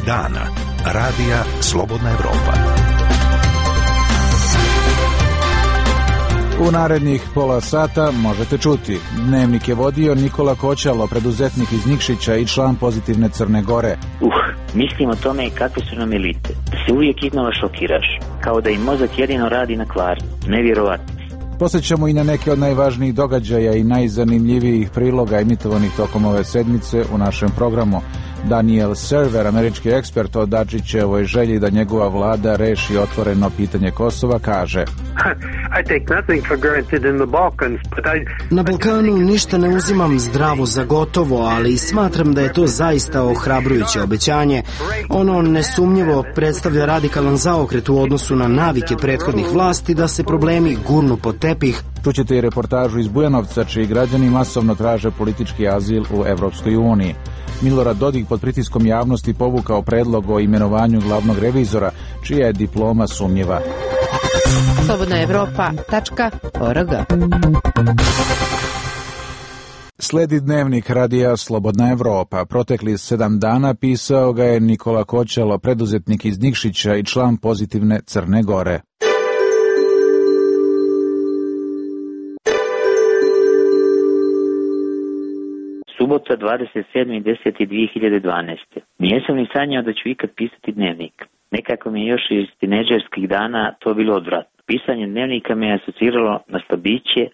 dana. Radija Slobodna Evropa. U narednih pola sata možete čuti. Dnevnik je vodio Nikola Koćalo, preduzetnik iz Nikšića i član Pozitivne Crne Gore. Mislim o tome kakve su nam elite. Da se uvijek iznova šokiraš. Kao da im mozak jedino radi na kvarnu. Nevjerovatno. Posjećamo i na neke od najvažnijih događaja i najzanimljivijih priloga emitovanih tokom ove sedmice u našem programu. Daniel Server, američki ekspert o Dačićevoj želji da njegova vlada reši otvoreno pitanje Kosova, kaže: Na Balkanu ništa ne uzimam zdravo za gotovo, ali smatram da je to zaista ohrabrujuće obećanje. Ono nesumnjivo predstavlja radikalan zaokret u odnosu na navike prethodnih vlasti da se problemi gurnu pod tepih. Čućete i reportažu iz Bujanovca, čiji građani masovno traže politički azil u Evropskoj uniji. Milorad Dodik pod pritiskom javnosti povukao predlog o imenovanju glavnog revizora, čija je diploma sumnjiva. slobodnaevropa.org. Sledi dnevnik radija Slobodna Evropa. Protekli 7 dana pisao ga je Nikola Koćalo, preduzetnik iz Nikšića i član Pozitivne Crne Gore. Subota 27.10.2012. Nijesam ni sanjao da ću ikad pisati dnevnik. Nekako mi je još iz tinejdžerskih dana to bilo odvratno. Pisanje dnevnika me je asociralo na slabiće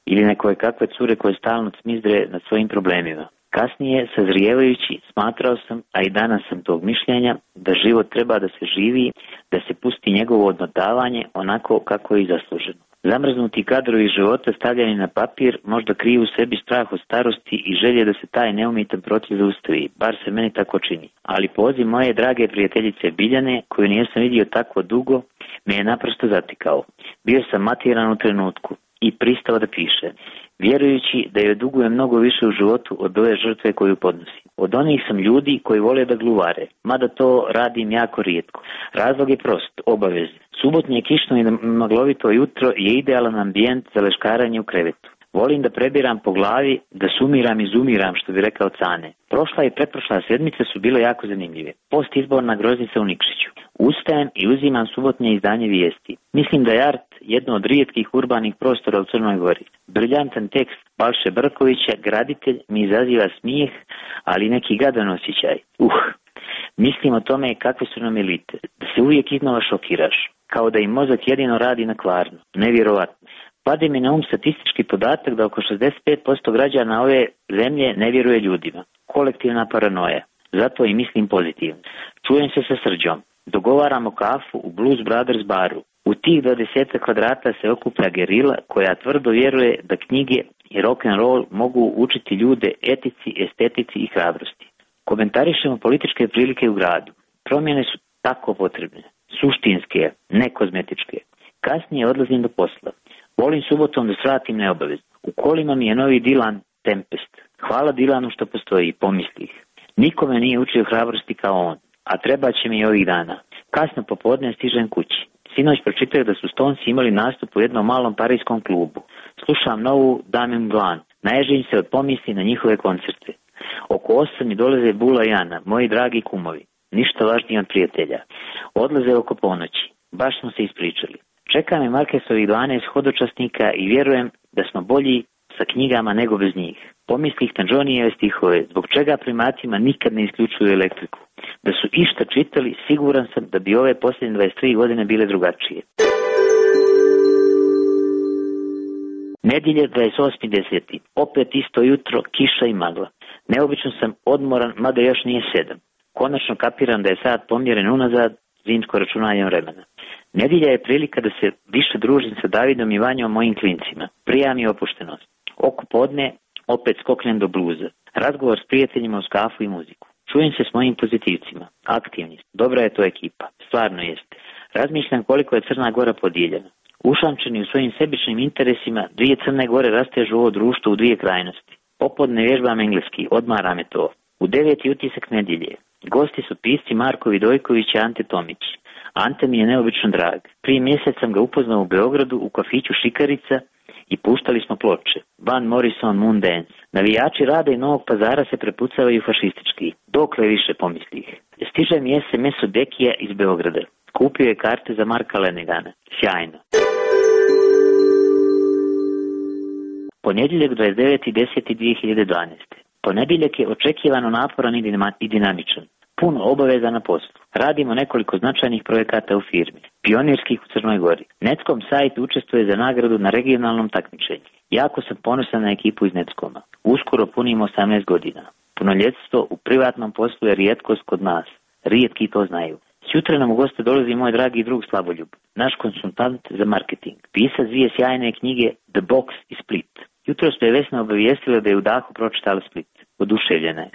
ili na koje kakve cure koje stalno cmizdre nad svojim problemima. Kasnije, sazrijevajući, smatrao sam, a i danas sam tog mišljenja, da život treba da se živi, da se pusti njegovo odmotavanje onako kako je i zasluženo. Zamrznuti kadrovi života stavljeni na papir možda kriju u sebi strah od starosti i želje da se taj neumitan proces zaustavi, bar se meni tako čini. Ali poziv moje drage prijateljice Biljane, koju nisam vidio tako dugo, me je naprosto zatikao. Bio sam matiran u trenutku i pristao da piše, vjerujući da joj duguje mnogo više u životu od ove žrtve koju podnosi. Od onih sam ljudi koji vole da gluvare, mada to radim jako rijetko. Razlog je prost, obaveze. Subotnje kišno i maglovito jutro je idealan ambijent za leškaranje u krevetu. Volim da prebiram po glavi, da sumiram i zumiram, što bi rekao Cane. Prošla i pretprošla sedmica su bile jako zanimljive. Postizborna groznica u Nikšiću. Ustajem i uzimam subotnje izdanje vijesti. Mislim da je Art jedno od rijetkih urbanih prostora u Crnoj Gori. Briljantan tekst Balše Brkovića, graditelj, mi izaziva smijeh, ali neki gadan osjećaj. Mislim o tome kakve su nam elite. Da se uvijek iznova šokiraš. Kao da im mozak jedino radi na kvarnu. Nevjerovatno. Pade mi na statistički podatak da oko 65% građana ove zemlje ne vjeruje ljudima. Kolektivna paranoja. Zato i mislim pozitivno. Čujem se sa Srđom. Dogovaramo kafu u Blues Brothers baru. U tih 20 kvadrata se okuplja gerila koja tvrdo vjeruje da knjige i rock'n'roll mogu učiti ljude etici, estetici i hrabrosti. Komentarišemo političke prilike u gradu. Promjene su tako potrebne. Suštinske, ne kozmetičke. Kasnije odlazim do posla. Volim subotom da svratim neobavezno. U kolima mi je novi Dylan Tempest. Hvala Dylanu što postoji, pomislih. Nikome nije učio hrabrosti kao on, a treba će mi i ovih dana. Kasno popodne stižem kući. Sinoć pročitaju da su Stonesi imali nastup u jednom malom parijskom klubu. Slušam novu Damien Blanc. Naježim se od pomisli na njihove koncerte. Oko 8 mi dolaze Bula i Ana, moji dragi kumovi. Ništa važnije od prijatelja. Odlaze oko ponoći. Baš smo se ispričali. Čeka me Markesovih 12 hodočasnika i vjerujem da smo bolji sa knjigama nego bez njih. Pomislih na Johnnyjeve stihove, zbog čega primatima nikad ne isključuju elektriku. Da su išta čitali, siguran sam da bi ove posljednje 23 godine bile drugačije. Nedjelje 28.10. Opet isto jutro, kiša i magla. Neobično sam odmoran, mada još nije 7. Konačno kapiram da je sat pomjeren unazad, zimsko računanje vremena. Nedjelja je prilika da se više družim sa Davidom i Vanjom, mojim klincima. Prija mi opuštenost. Oko podne opet skoknem do bluza. Razgovor s prijateljima uz kafu i muziku. Čujem se s mojim pozitivcima. Aktivni. Dobra je to ekipa. Stvarno jeste. Razmišljam koliko je Crna Gora podijeljena. Ušamčeni u svojim sebičnim interesima, dvije Crne Gore rastežu ovo društvo u dvije krajnosti. Popodne vježbam engleski, odmara me to. U 9. utisak nedjelje. Gosti su pisci Marko Vidojković i Ante Tomić. Ante mi je neobično drag. Prije mjesec sam ga upoznao u Beogradu u kafiću Šikarica i puštali smo ploče. Van Morrison, Moondance. Navijači Rada i Novog Pazara se prepucavaju fašistički. Dokle više, pomislih. Stiže mi SMS od Dekija iz Beograda. Kupio je karte za Marka Lenegana. Sjajno. Ponedjeljak 29.10.2012. Ponedjeljak je očekivano naporan i dinamičan. Puno obaveza na poslu. Radimo nekoliko značajnih projekata u firmi. Pionirskih u Crnoj Gori. Netskom sajt učestvuje za nagradu na regionalnom takmičenju. Jako sam ponosan na ekipu iz Netskoma. Uskoro punimo 18 godina. Punoljetstvo u privatnom poslu je rijetkost kod nas. Rijetki to znaju. Sjutra nam u goste dolazi moj dragi drug Slavoljub, naš konsultant za marketing. Pisac dvije sjajne knjige The Box i Split. Jutro ste je Vesna obavijestila da je u dahu pročitala Split. Oduševljena je.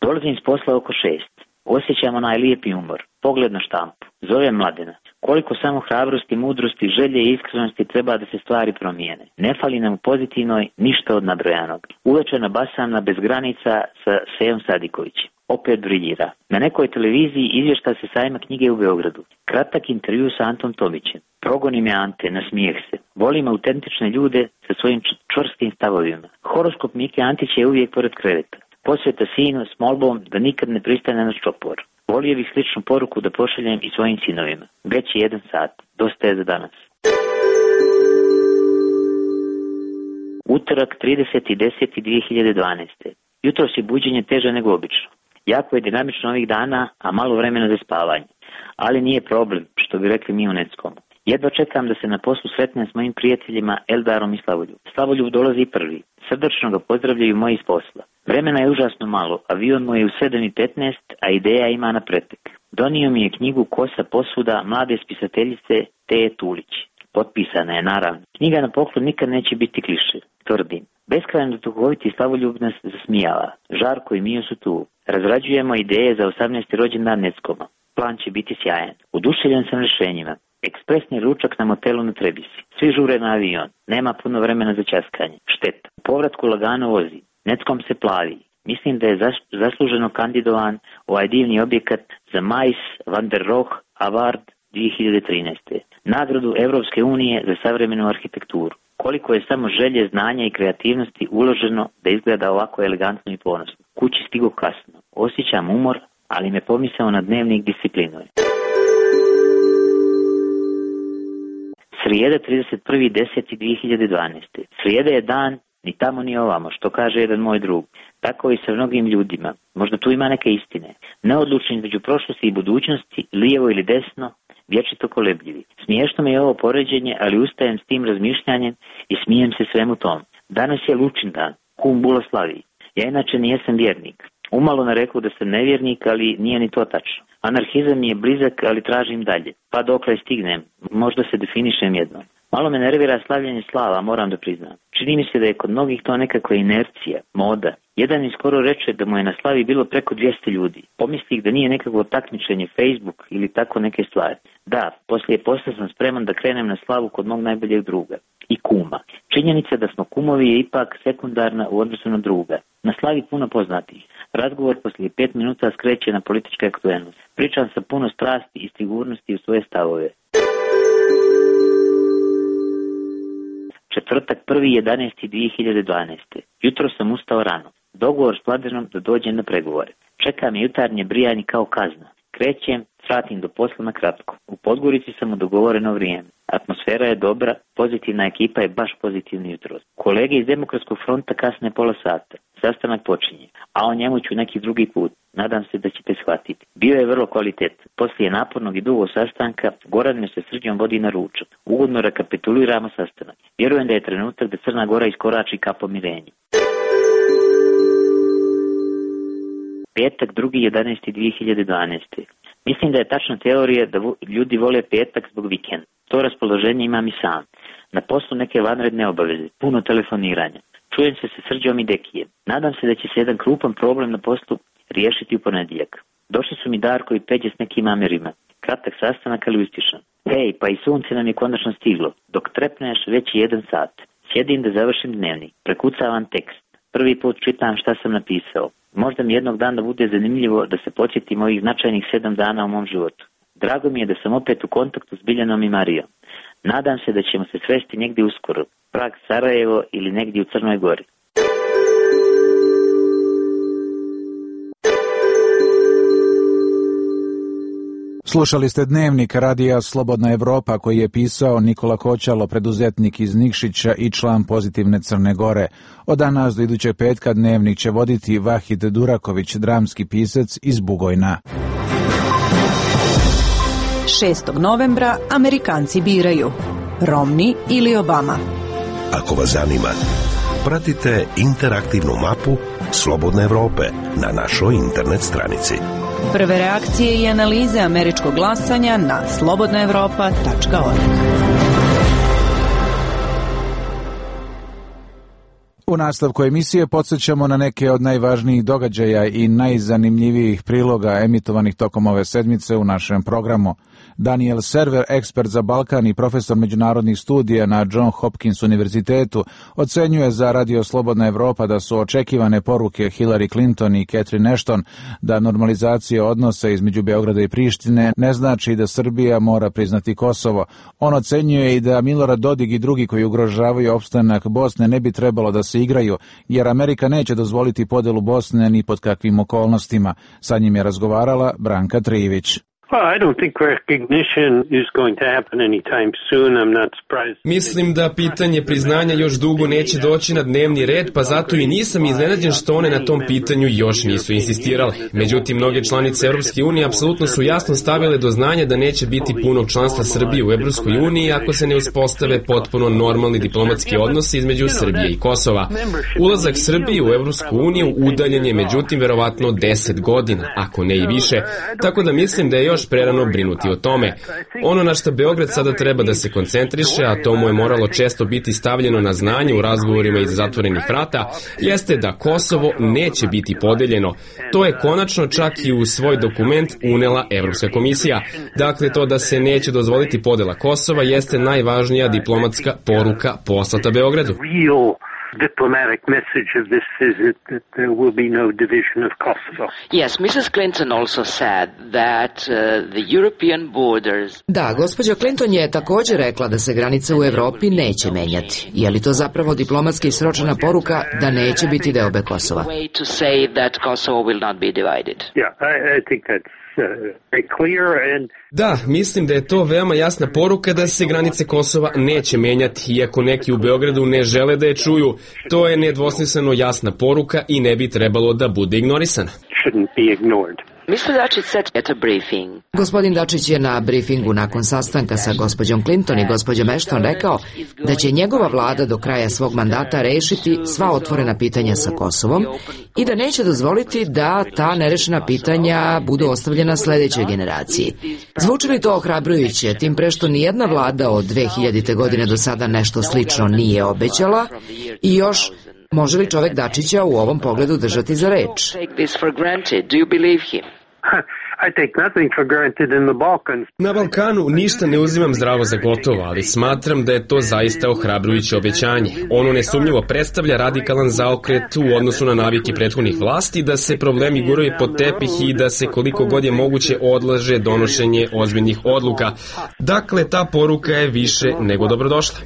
Dolazim s posla oko 6. Osjećam onaj lijepi umor. Pogled na štampu. Zove Mladena. Koliko samo hrabrosti, mudrosti, želje i iskrenosti treba da se stvari promijene. Ne fali nam u pozitivnoj ništa od nabrojanog. Uveče nabasam na Bez granica sa Sejom Sadikovićem. Opet briljira. Na nekoj televiziji izvješta se sajma knjige u Beogradu. Kratak intervju sa Antom Tomićem. Progoni me Ante, nasmijeh se. Volim autentične ljude sa svojim čvrstim stavovima. Horoskop Mike Antića je uvijek pored kreveta. Posveta sinu s molbom da nikad ne pristane na čopor. Volio bih sličnu poruku da pošaljem i svojim sinovima. Već je 1 sat. Dosta je za danas. Utorak 30.10.2012. Jutros je buđenje teže nego obično. Jako je dinamično ovih dana, a malo vremena za spavanje. Ali nije problem, što bi rekli mi u Netskomu. Jedva čekam da se na poslu sretnem s mojim prijateljima Eldarom i Slavoljub. Slavoljub dolazi prvi. Srdačno ga pozdravljaju moji iz posla. Vremena je užasno malo, avion mu je u 7:15, a ideja ima na pretek. Donio mi je knjigu Kosa posuda mlade spisateljice Teje Tulić. Potpisana je, naravno. Knjiga na poklon nikad neće biti kliše, tvrdim. Beskrajno duhoviti Slavoljub nas zasmijava. Žarko i Mio su tu. Razrađujemo ideje za 18. rođendan Netskoma. Plan će biti sjajan. Oduševljen sam rješenjima. Ekspresni ručak na motelu na Trebisi. Svi žure na avion. Nema puno vremena za ćaskanje. Šteta. U povratku lagano vozi. Netskom se plavi. Mislim da je zasluženo kandidovan ovaj divni objekat za Mais van der Rohe Award 2013. Nagradu Evropske unije za savremenu arhitekturu. Koliko je samo želje, znanja i kreativnosti uloženo da izgleda ovako elegantno i ponosno. Kući stigo kasno. Osjećam umor, ali me pomisao na dnevnik disciplinuje. Srijeda 31.10.2012. Srijeda je dan ni tamo ni ovamo, što kaže jedan moj drug. Tako i sa mnogim ljudima. Možda tu ima neke istine. Neodlučni između prošlosti i budućnosti, lijevo ili desno, vječito kolebljivi. Smiješno mi je ovo poređenje, ali ustajem s tim razmišljanjem i smijem se svemu tom. Danas je Lučin dan, kum Bula slavi. Ja inače nijesam vjernik. Umalo me rekao da sam nevjernik, ali nije ni to tačno. Anarhizam mi je blizak, ali tražim dalje. Pa dokle stignem, možda se definišem jednom. Malo me nervira slavljenje slava, moram da priznam. Čini mi se da je kod mnogih to nekakva inercija, moda. Jedan mi skoro reče da mu je na slavi bilo preko 200 ljudi. Pomislih da nije nekakvo takmičenje, Facebook ili tako neke stvari. Da, poslije posla sam spreman da krenem na slavu kod mog najboljeg druga. I kuma. Činjenica da smo kumovi je ipak sekundarna u odnosu na druga. Na slavi puno poznatih. Razgovor poslije 5 minuta skreće na političku aktuelnost. Pričam sa puno strasti i sigurnosti u svoje stavove. Četvrtak 1.11.2012. Jutro sam ustao rano. Dogovor s Mladenom da dođem na pregovore. Čeka me jutarnje brijanje kao kazna. Krećem, sratim do posla na kratko. U Podgorici sam u dogovoreno vrijeme. Atmosfera je dobra, pozitivna ekipa je baš pozitivni jutros. Kolege iz Demokratskog fronta kasne pola sata. Sastanak počinje, a o njemu ću neki drugi put. Nadam se da ćete shvatiti. Bio je vrlo kvalitetan. Poslije napornog i dugog sastanka, Goran me sa Srđom vodi na ručak. Ugodno rekapituliramo sastanak. Vjerujem da je trenutak da Crna Gora iskorači ka pomirenju. Petak 2.11.2012. Mislim da je tačna teorija da ljudi vole petak zbog vikenda. To raspoloženje imam i sam. Na poslu neke vanredne obaveze, puno telefoniranja. Čujem se sa Srđom i Dekijem. Nadam se da će se jedan krupan problem na poslu riješiti u ponedjeljak. Došli su mi Darko i Peđe s nekim amerima. Kratak sastanak, ali uspješan. Hej, pa i sunce nam je konačno stiglo. Dok trepneš, već je 1 sat. Sjedim da završim dnevnik. Prekucavam tekst. Prvi put čitam šta sam napisao. Možda mi jednog dana bude zanimljivo da se podsjetim ovih značajnih 7 dana u mom životu. Drago mi je da sam opet u kontaktu s Biljanom i Marijom. Nadam se da ćemo se sresti negdje uskoro, Prag, Sarajevo ili negdje u Crnoj Gori. Slušali ste Dnevnik radija Slobodna Evropa koji je pisao Nikola Koćalo, preduzetnik iz Nikšića i član Pozitivne Crne Gore. Od danas do idućeg petka Dnevnik će voditi Vahid Duraković, dramski pisac iz Bugojna. 6. novembra Amerikanci biraju Romney ili Obama. Ako vas zanima, pratite interaktivnu mapu Slobodne Evrope na našoj internet stranici. Prve reakcije i analize američkog glasanja na slobodnaevropa.org. U nastavku emisije podsjećamo na neke od najvažnijih događaja i najzanimljivijih priloga emitovanih tokom ove sedmice u našem programu. Daniel Server, ekspert za Balkan i profesor međunarodnih studija na John Hopkins univerzitetu, ocenjuje za Radio Slobodna Evropa da su očekivane poruke Hillary Clinton i Catherine Ashton da normalizacija odnosa između Beograda i Prištine ne znači da Srbija mora priznati Kosovo. On ocenjuje i da Milorad Dodik i drugi koji ugrožavaju opstanak Bosne ne bi trebalo da se igraju, jer Amerika neće dozvoliti podelu Bosne ni pod kakvim okolnostima. Sa njim je razgovarala Branka Trivić. Mislim da pitanje priznanja još dugo neće doći na dnevni red, pa zato i nisam iznenađen što one na tom pitanju još nisu insistirale. Međutim, mnoge članice Evropske unije apsolutno su jasno stavile do znanja da neće biti punog članstva Srbije u Evropskoj uniji ako se ne uspostave potpuno normalni diplomatski odnosi između Srbije i Kosova. Ulazak Srbije u Evropsku uniju udaljen je međutim verovatno 10 godina, ako ne i više, tako da mislim da je još prerano brinuti o tome. Ono na što Beograd sada treba da se koncentriše, a to mu je moralo često biti stavljeno na znanje u razgovorima iz zatvorenih vrata, jeste da Kosovo neće biti podeljeno. To je konačno čak i u svoj dokument unela Evropska komisija. Dakle, to da se neće dozvoliti podela Kosova jeste najvažnija diplomatska poruka poslata Beogradu. Diplomatic message of this is that there will be no division of Kosovo. Yes, Mrs. Clinton also said that the European borders. Da, gospođa Clinton je također rekla da se granice u Evropi neće menjati. Je li to zapravo diplomatski sročena poruka da neće biti deobe Kosova? To say that Kosovo will not be divided. Yeah, I think that's Da, mislim da je to veoma jasna poruka da se granice Kosova neće menjati, iako neki u Beogradu ne žele da je čuju. To je nedvosmisleno jasna poruka i ne bi trebalo da bude ignorisana. Gospodin Dačić je na briefingu nakon sastanka sa gospođom Clinton i gospođom Ashton rekao da će njegova vlada do kraja svog mandata rešiti sva otvorena pitanja sa Kosovom i da neće dozvoliti da ta nerešena pitanja budu ostavljena sledećoj generaciji. Zvuči li to ohrabrujuće, tim pre što nijedna vlada od 2000. godine do sada nešto slično nije obećala i još može li čovek Dačića u ovom pogledu držati za reč? Na Balkanu ništa ne uzimam zdravo za gotovo, ali smatram da je to zaista ohrabrujuće obećanje. Ono nesumnjivo predstavlja radikalan zaokret u odnosu na navike prethodnih vlasti, da se problemi guraju pod tepih i da se koliko god je moguće odlaže donošenje ozbiljnih odluka. Dakle, ta poruka je više nego dobrodošla.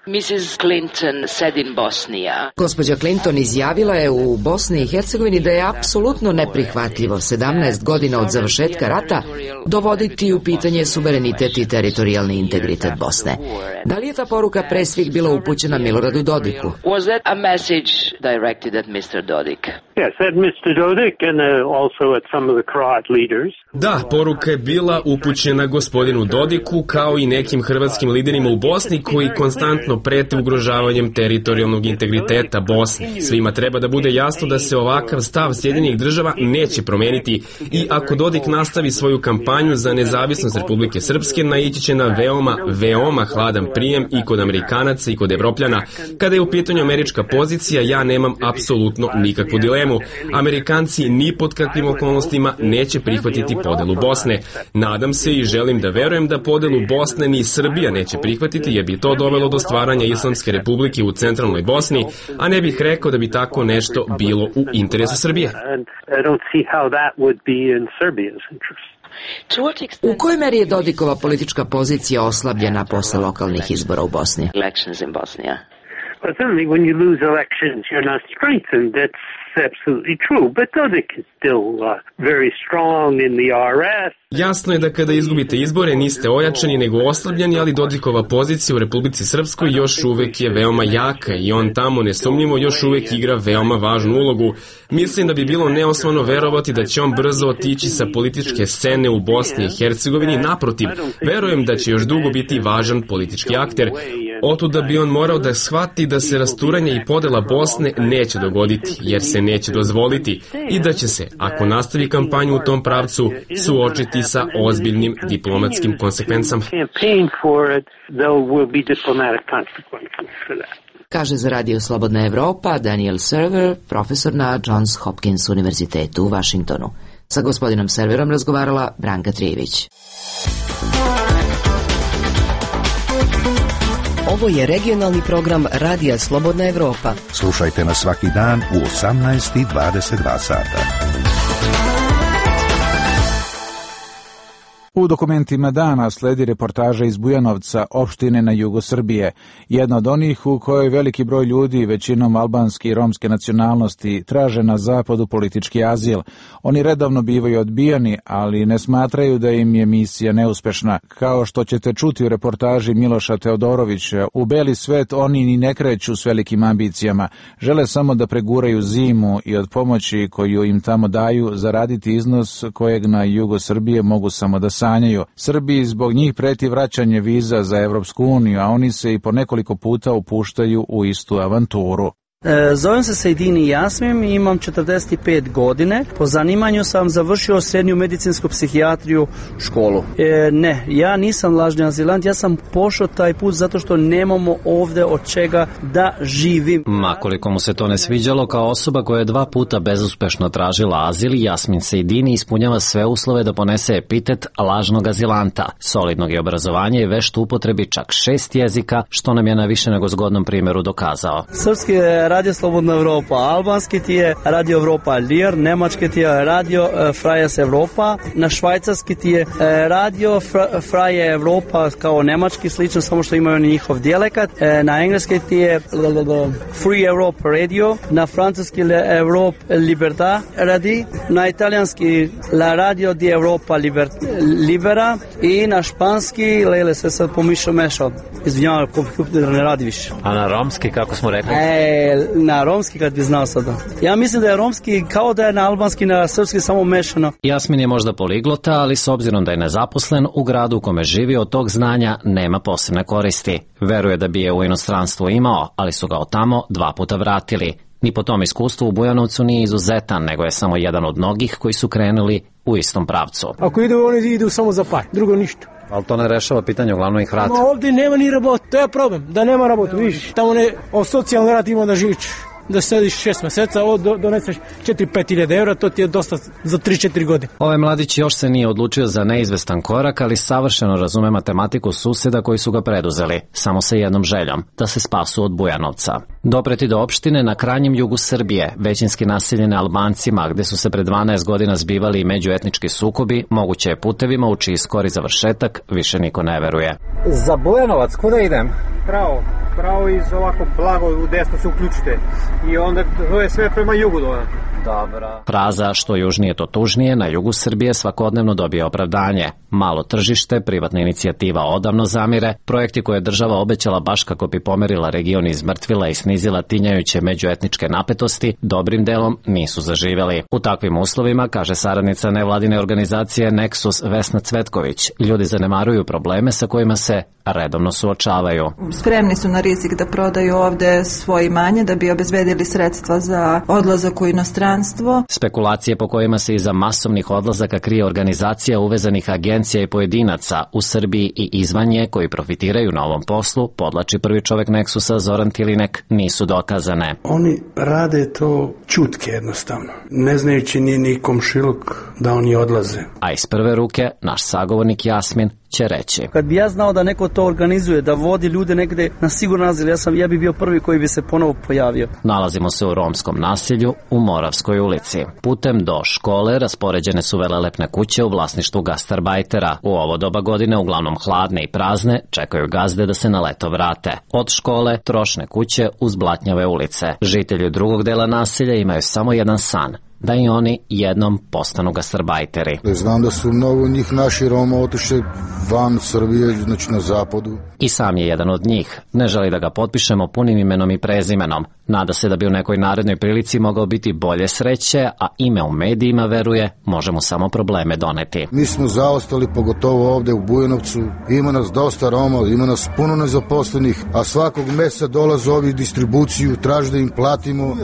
Mrs. Clinton said in Bosnia. Gospođa Clinton izjavila je u Bosni i Hercegovini da je apsolutno neprihvatljivo 17 godina od završetka rata dovoditi u pitanje suverenitet i teritorijalni integritet Bosne. Da li je ta poruka pre svih bila upućena Miloradu Dodiku? Was that a message directed at Mr. Dodik? Yes, at Mr. Dodik and also at some of the Croat leaders. Da, poruka je bila upućena gospodinu Dodiku kao i nekim hrvatskim liderima u Bosni koji konstantno prete ugrožavanjem teritorijalnog integriteta Bosne. Svima treba da bude jasno da se ovakav stav Sjedinjenih država neće promeniti i ako Dodik nastavi svoju kampanju za nezavisnost Republike Srpske, naići će na veoma hladan prijem i kod Amerikanaca i kod Evropljana. Kada je u pitanju američka pozicija, ja nemam apsolutno nikakvu dilemu. Amerikanci ni pod kakvim okolnostima neće prihvatiti podelu Bosne. Nadam se i želim da verujem da podelu Bosne ni Srbija neće prihvatiti, jer bi to dovelo do stvarnog stvaranja Islamske republike u centralnoj Bosni, a ne bih rekao da bi tako nešto bilo u interesu Srbije. U kojoj meri je Dodikova politička pozicija oslabljena posle lokalnih izbora u Bosni? Jasno je da kada izgubite izbore niste ojačani nego oslabljeni, ali Dodikova pozicija u Republici Srpskoj još uvek je veoma jaka i on tamo nesumnjivo još uvek igra veoma važnu ulogu. Mislim da bi bilo neosnovano verovati da će on brzo otići sa političke scene u Bosni i Hercegovini. Naprotiv, verujem da će još dugo biti važan politički akter. Otuda bi on morao da shvati da se rasturanje i podela Bosne neće dogoditi, jer se neće dozvoliti, i da će se, ako nastavi kampanju u tom pravcu, suočiti sa ozbiljnim diplomatskim konsekvencama. Kaže za Radio Slobodna Evropa Daniel Server, profesor na Johns Hopkins univerzitetu u Vašingtonu. Sa gospodinom Serverom razgovarala Branka Trijević. Ovo je regionalni program Radija Slobodna Evropa. Slušajte nas svaki dan u 18:22 sata. U dokumentima dana sledi reportaža iz Bujanovca, opštine na jugu Srbije. Jedna od onih u kojoj veliki broj ljudi, većinom albanske i romske nacionalnosti, traže na zapadu politički azil. Oni redovno bivaju odbijani, ali ne smatraju da im je misija neuspešna. Kao što ćete čuti u reportaži Miloša Teodorovića, u beli svet oni ni ne kreću s velikim ambicijama. Žele samo da preguraju zimu i od pomoći koju im tamo daju zaraditi iznos kojeg na jugu Srbije mogu samo da sanjaju. Srbiji zbog njih preti vraćanje viza za Evropsku uniju, a oni se i po nekoliko puta upuštaju u istu avanturu. Zovem se Sejdini Jasmin i imam 45 godine. Po zanimanju sam završio srednju medicinsku psihijatriju školu. Ne, ja nisam lažni azilant, ja sam pošao taj put zato što nemamo ovde od čega da živim. Makoliko mu se to ne sviđalo, kao osoba koja je 2 puta bezuspešno tražila azil, Jasmin Sejdini ispunjava sve uslove da ponese epitet lažnog azilanta. Solidnog je obrazovanja i vešt upotrebi čak 6 jezika, što nam je na više nego zgodnom primjeru dokazao. Srpski Radio Slobodna Evropa, albanski ti je Radio Evropa Lir, nemački ti je Radio Freies Evropa, na švajcarski ti je Radio Freie Evropa kao nemački, slično, samo što imaju njihov dijalekat, na engleski ti je Free Europe Radio, na francuski Europe Libertà radi, na italijanski La Radio di Europa Libera i na španski, lele se sad mešao, izvinjavam, kompjuter ne radi više. A na romski, kako smo rekli? Na romski kad bi znao sada. Ja mislim da je romski kao da je na albanski, na srpski samo mešano. Jasmin je možda poliglota, ali s obzirom da je nezaposlen, u gradu u kome živi od tog znanja nema posebne koristi. Veruje da bi je u inostranstvu imao, ali su ga od tamo 2 puta vratili. Ni po tom iskustvu u Bujanovcu nije izuzetan, nego je samo jedan od mnogih koji su krenuli u istom pravcu. Ako idu, oni idu samo za par, drugo ništa. Ali to ne rešava pitanje, uglavnom ih vrati. Ovdje nema ni rabota, to je problem, da nema rabota, vidiš. Tamo ne, od socijalne rad ima da živiš, da sediš 6 meseca, doneseš 4-5 hiljada evra, to ti je dosta za 3-4 godine. Ovaj mladić još se nije odlučio za neizvestan korak, ali savršeno razume matematiku suseda koji su ga preduzeli, samo sa jednom željom, da se spasu od Bujanovca. Dopreti do opštine na krajnjem jugu Srbije, većinski naseljene Albancima, gde su se pred 12 godina zbivali i međuetnički sukobi, moguće je putevima u čiji skori završetak više niko ne veruje. Za Bujanovac, kuda idem? Pravo iz ovako blago u desno se uključite i onda to je sve prema jugu dole. Dobra. Fraza što južnije to tužnije na jugu Srbije svakodnevno dobije opravdanje. Malo tržište, privatna inicijativa odavno zamire, projekti koje je država obećala baš kako bi pomerila region iz mrtvila i snizila tinjajuće međuetničke napetosti, dobrim delom nisu zaživeli. U takvim uslovima, kaže saradnica nevladine organizacije Nexus Vesna Cvetković, ljudi zanemaruju probleme sa kojima se redovno suočavaju. Spremni su na rizik da prodaju ovde svoje imanje da bi obezbedili sredstva za odlazak u inostranstvo. Spekulacije po kojima se iza masovnih odlazaka krije organizacija uvezanih agencija i pojedinaca u Srbiji i izvan nje koji profitiraju na ovom poslu, podlači prvi čovek Nexusa Zoran Tilinek, nisu dokazane. Oni rade to čutke jednostavno, ne znajući ni komšiluk da oni odlaze. A iz prve ruke naš sagovornik Jasmin će reći. Kad bi ja znao da neko to organizuje, da vodi ljude negde na siguran azil, ja bi bio prvi koji bi se ponovo pojavio. Nalazimo se u romskom naselju u Moravskoj ulici. Putem do škole raspoređene su velelepne kuće u vlasništvu gastarbajtera. U ovo doba godine, uglavnom hladne i prazne, čekaju gazde da se na leto vrate. Od škole trošne kuće uz blatnjave ulice. Žitelji drugog dela naselja imaju samo jedan san, da i oni jednom postanu gastarbajteri. Znam da su mnogo njih naši Roma otišli van Srbije, znači na zapadu. I sam je jedan od njih. Ne želi da ga potpišemo punim imenom i prezimenom. Nada se da bi u nekoj narednoj prilici mogao biti bolje sreće, a ime u medijima, veruje, može mu samo probleme doneti. Mi smo zaostali, pogotovo ovde u Bujanovcu. Ima nas dosta Roma, ima nas puno nezaposlenih, a svakog meseca dolaze ovi distribuciju, traže da im platimo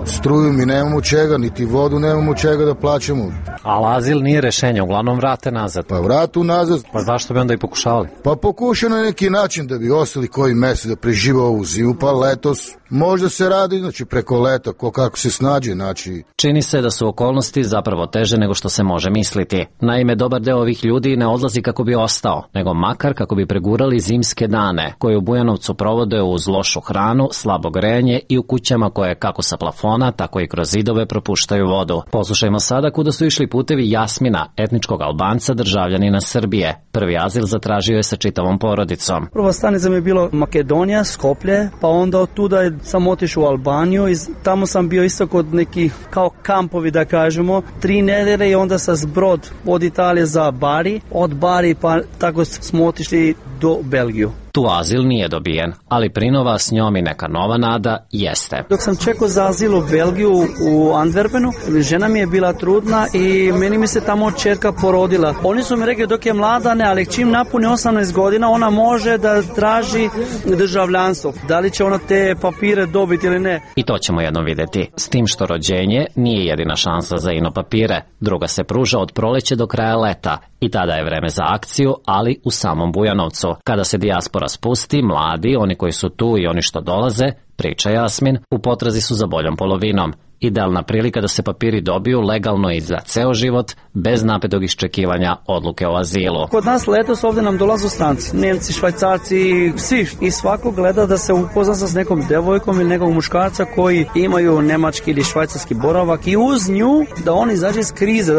struju, mi nemamo čega, niti vodu nemamo čega da plaćamo. Ali azil nije rešenje, uglavnom vrate nazad. Pa vratu nazad. Pa zašto bi onda i pokušavali? Pa pokušao na neki način da bi ostali koji mesec da prežive ovu zimu, pa letos možda se radi, znači preko leta, kako se snađe, znači. Čini se da su okolnosti zapravo teže nego što se može misliti. Naime, dobar deo ovih ljudi ne odlazi kako bi ostao, nego makar kako bi pregurali zimske dane, koje u Bujanovcu provode uz lošu hranu, slabo grejanje i u kućama koje kako sa plafona, tako i kroz zidove propuštaju vodu. Poslušajmo sada kuda su išli putevi Jasmina, etničkog Albanca, državljanina Srbije. Prvi azil zatražio je sa čitavom porodicom. Prva stanica mi je bilo Makedonija, Skoplje, pa onda od tuda sam otišao u Albaniju i tamo sam bio isto kod nekih kao kampovi, da kažemo, 3 nedelje i onda sa Zbrod od Italije za Bari, od Bari pa tako smo otišli do Belgiju. Tu azil nije dobijen, ali prinova s njom i neka nova nada jeste. Dok sam čekao za azil u Belgiju u Antwerpenu, žena mi je bila trudna i meni mi se tamo čerka porodila. Oni su mi rekli dok je mlada ne, ali čim napuni 18 godina ona može da traži državljanstvo. Da li će ona te papire dobiti ili ne? I to ćemo jednom vidjeti. S tim što rođenje nije jedina šansa za ino papire. Druga se pruža od proleće do kraja leta. I tada je vreme za akciju, ali u samom Bujanovcu. Kada se dijaspora spusti, mladi, oni koji su tu i oni što dolaze, priča Jasmin, u potrazi su za boljom polovinom. Idealna prilika da se papiri dobiju legalno i za ceo život, bez napetog iščekivanja odluke o azilu. Kod nas letos ovde nam dolazu stranci, Nemci, Švajcarci, svi. I svako gleda da se upozna sa nekom devojkom ili nekog muškarca koji imaju nemački ili švajcarski boravak i uz nju da on izađe iz krize,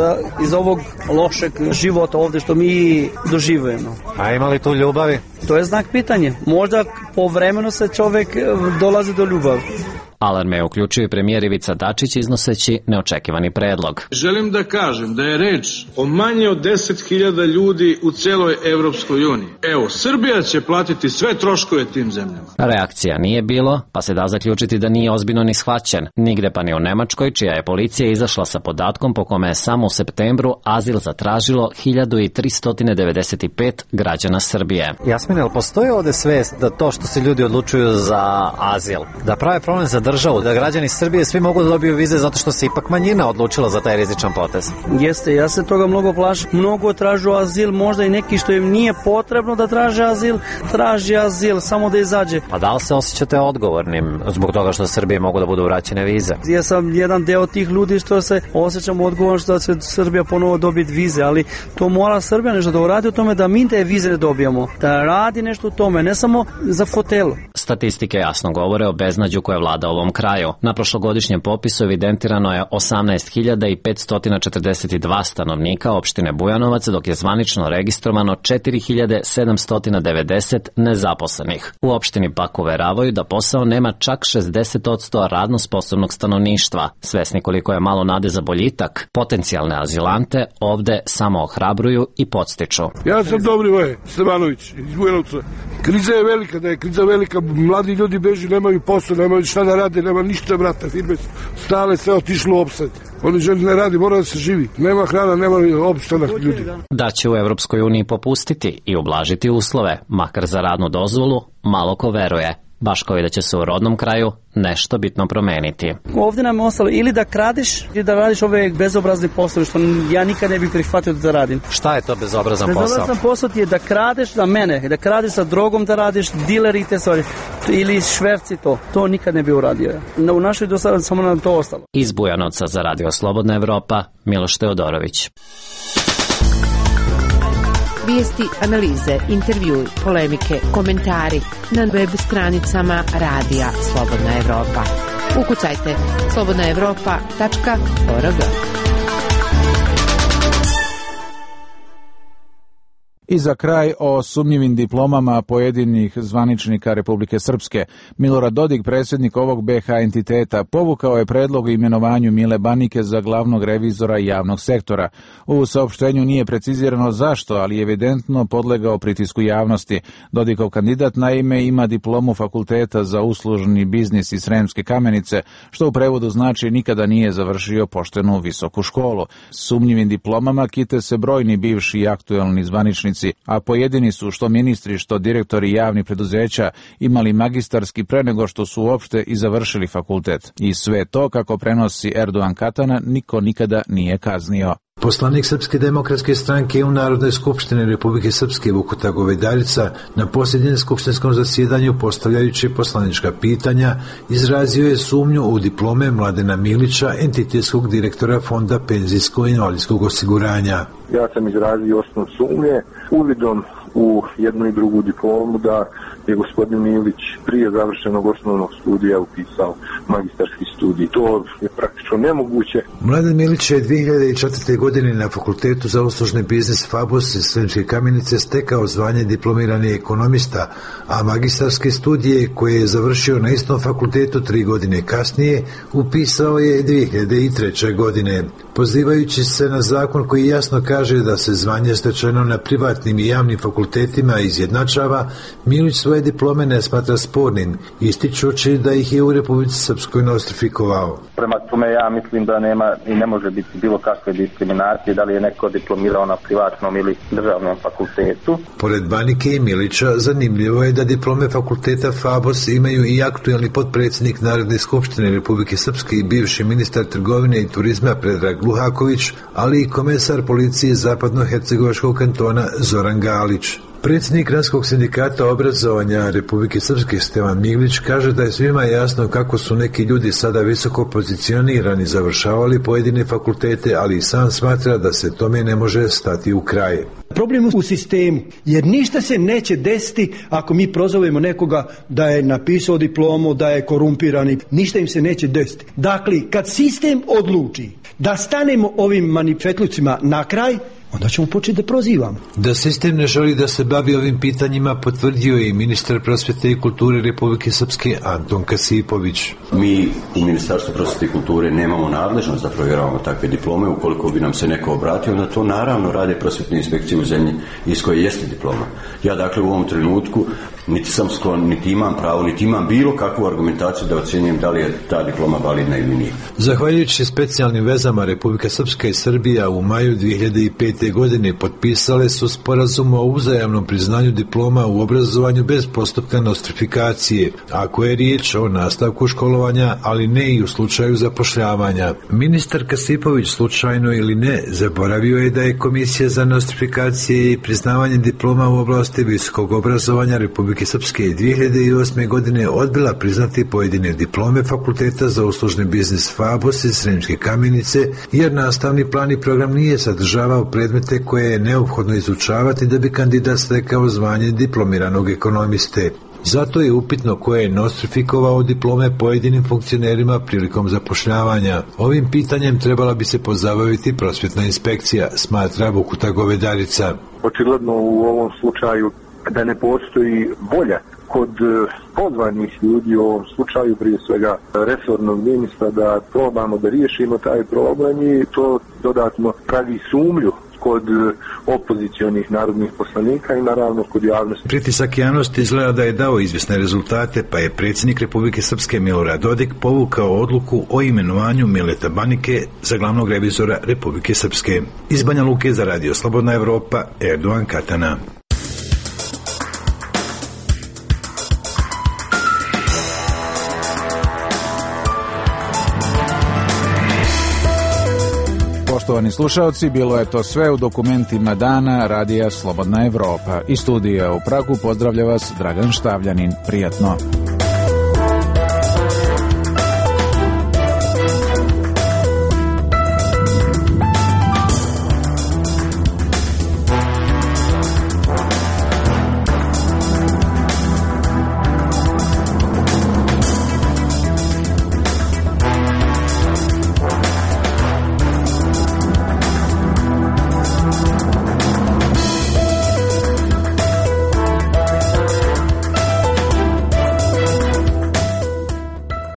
iz ovog lošeg života ovde što mi doživujemo. A ima li tu ljubavi? To je znak pitanja. Možda povremeno se čovek dolazi do ljubavi. Alarme je uključio i premijer Ivica Dačić iznoseći neočekivani predlog. Želim da kažem da je reč o manje od 10.000 ljudi u celoj Evropskoj uniji. Evo, Srbija će platiti sve troškove tim zemljama. Reakcija nije bilo, pa se da zaključiti da nije ozbiljno ni shvaćen. Nigde pa ni u Nemačkoj, čija je policija izašla sa podatkom po kome je samo u septembru azil zatražilo 1395 građana Srbije. Jasmine, ali postoji ovde svest da to što se ljudi odlučuju za azil, da prave problem za državu, da građani Srbije svi mogu da dobiju vize zato što se ipak manjina odlučila za taj rizičan potez? Jeste, ja se toga mnogo plašim. Mnogo tražu azil, možda i neki što im nije potrebno da traže azil, samo da izađe. Pa da li se osjećate odgovornim zbog toga što Srbije mogu da budu vraćene vize? Ja sam jedan deo tih ljudi što se osjećam odgovorno što će Srbija ponovo dobiti vize, ali to mora Srbija nešto da uradi u tome da mi te vize ne dobijamo. Da radi nešto u tome, ne samo za fotelu. Statistike jasno govore o beznađu koje vlada ovom kraju. Na prošlogodišnjem popisu evidentirano je 18.542 stanovnika opštine Bujanovac, dok je zvanično registrovano 4.790 nezaposlenih. U opštini pak uveravaju da posao nema čak 60% radno sposobnog stanovništva. Svesni koliko je malo nade za boljitak, potencijalne azilante ovde samo ohrabruju i podstiču. Ja sam Dobrivoje Stevanović iz Bujanovca. Kriza je velika, da je kriza velika, mladi ljudi beži, nemaju posao, nemaju šta da rade, nema ništa, brata, firme stale, sve otišlo u opsad. Oni želi ne radi, mora da se živi. Nema hrana, nema opstanak ljudi. Da će u Evropskoj uniji popustiti i ublažiti uslove, makar za radnu dozvolu, malo ko veruje. Baš kao i da će se u rodnom kraju nešto bitno promeniti. Ovdje nam je ostalo ili da kradiš ili da radiš ove bezobrazne poslove što ja nikad ne bih prihvatio da radim. Šta je to bezobrazan posao? Bezobrazan posao ti je da kradeš za mene, da kradeš sa drogom, da radiš dileri te stvari ili šverci to. To nikad ne bi uradio. U našoj do sada samo nam to ostalo. Iz Bujanovca za Radio Slobodna Evropa, Miloš Teodorović. Vijesti, analize, intervjui, polemike, komentari na web stranicama Radija Slobodna Evropa. Ukucajte slobodnaevropa.org. I za kraj o sumnjivim diplomama pojedinih zvaničnika Republike Srpske. Milorad Dodik, predsjednik ovog BH entiteta, povukao je predlog o imenovanju Mile Banike za glavnog revizora javnog sektora. U saopštenju nije precizirano zašto, ali je evidentno podlegao pritisku javnosti. Dodikov kandidat naime ima diplomu Fakulteta za uslužni biznis iz Sremske Kamenice, što u prevodu znači nikada nije završio poštenu visoku školu. Sumnjivim diplomama kite se brojni bivši i aktuelni zvaničnici, a pojedini su što ministri, što direktori javnih preduzeća imali magistarski pre nego što su uopšte i završili fakultet. I sve to, kako prenosi Erdogan Katana, niko nikada nije kaznio. Poslanik Srpske demokratske stranke u Narodnoj skupštini Republike Srpske Vukuta Govedarica na posljednjem skupštinskom zasjedanju, postavljajući poslanička pitanja, izrazio je sumnju u diplome Mladena Milića, entitetskog direktora Fonda penzijsko-invalidskog osiguranja. Ja sam izrazio osnovnu sumnje uvidom u jednu i drugu diplomu da je gospodin Milić prije završenog osnovnog studija upisao magistarski studij. To je praktično nemoguće. Mladen Milić je 2004. godine na Fakultetu za uslužni biznis FABOS iz Sremske Kamenice stekao zvanje diplomirani ekonomista, a magistarske studije koje je završio na istom fakultetu 3 godine kasnije upisao je 2003. godine. Pozivajući se na zakon koji jasno kaže da se zvanje stečeno na privatnim i javnim fakultetima izjednačava, Milić svoje diplome ne smatra spornim, ističući da ih je u Republici Srpskoj nostrifikovao. Prema tome ja mislim da nema i ne može biti bilo kakve diskriminacije, da li je neko diplomirao na privatnom ili državnom fakultetu. Pored Banike i Milića, zanimljivo je da diplome fakulteta FABOS imaju i aktuelni potpredsjednik Narodne skupštine Republike Srpske i bivši ministar trgovine i turizma Predrag Luhaković, ali i komesar policije Zapadno-hercegovačkog kantona Zoran Galić. Predsjednik Granskog sindikata obrazovanja Republike Srpske Stevan Miglić kaže da je svima jasno kako su neki ljudi sada visoko pozicionirani završavali pojedine fakultete, ali i sam smatra da se tome ne može stati u kraj. Problem u sistemu, jer ništa se neće desiti ako mi prozovemo nekoga da je napisao diplomu, da je korumpirani, ništa im se neće desiti. Dakle, kad sistem odluči da stanemo ovim manifetlucima na kraj, onda ćemo početi da prozivamo. Da sistem ne želi da se bavi ovim pitanjima potvrdio je i ministar prosvete i kulture Republike Srpske Anton Kasipović. Mi u Ministarstvu prosvete i kulture nemamo nadležnost da provjeravamo takve diplome. Ukoliko bi nam se neko obratio, onda to naravno rade prosvetne inspekcije u zemlji iz koje jeste diploma. Ja dakle u ovom trenutku niti sam sklon, niti imam pravo, niti imam bilo kakvu argumentaciju da ocjenjujem da li je ta diploma validna ili nije. Zahvaljujući specijalnim vezama Republika Srpska i Srbija u maju 2005. godine potpisale su sporazum o uzajamnom priznanju diploma u obrazovanju bez postupka nostrifikacije, ako je riječ o nastavku školovanja, ali ne i u slučaju zapošljavanja. Ministar Kasipović, slučajno ili ne, zaboravio je da je Komisija za nostrifikacije i priznavanje diploma u oblasti visokog obrazovanja Republike Srpske 2008. godine odbila priznati pojedine diplome Fakulteta za uslužni biznis FABOS iz Sremske Kamenice, jer nastavni plan i program nije sadržavao predmete koje je neophodno izučavati da bi kandidat stekao zvanje diplomiranog ekonomiste. Zato je upitno ko je nostrifikovao diplome pojedinim funkcionerima prilikom zapošljavanja. Ovim pitanjem trebala bi se pozabaviti prosvjetna inspekcija, smatra Vukuta Govedarica. Očigledno u ovom slučaju da ne postoji volja kod pozvanih ljudi, u ovom slučaju prije svega resornog ministra, da probamo da riješimo taj problem i to dodatno pravi sumnju kod opozicionih narodnih poslanika i naravno kod javnosti. Pritisak javnosti izgleda da je dao izvjesne rezultate, pa je predsjednik Republike Srpske Milorad Dodik povukao odluku o imenovanju Mileta Banike za glavnog revizora Republike Srpske. Iz Banja Luke za Radio Slobodna Evropa, Erdogan Katana. Poštovani slušalci, bilo je to sve u dokumentima dana Radija Slobodna Evropa. Iz studija u Pragu pozdravlja vas Dragan Štavljanin. Prijatno.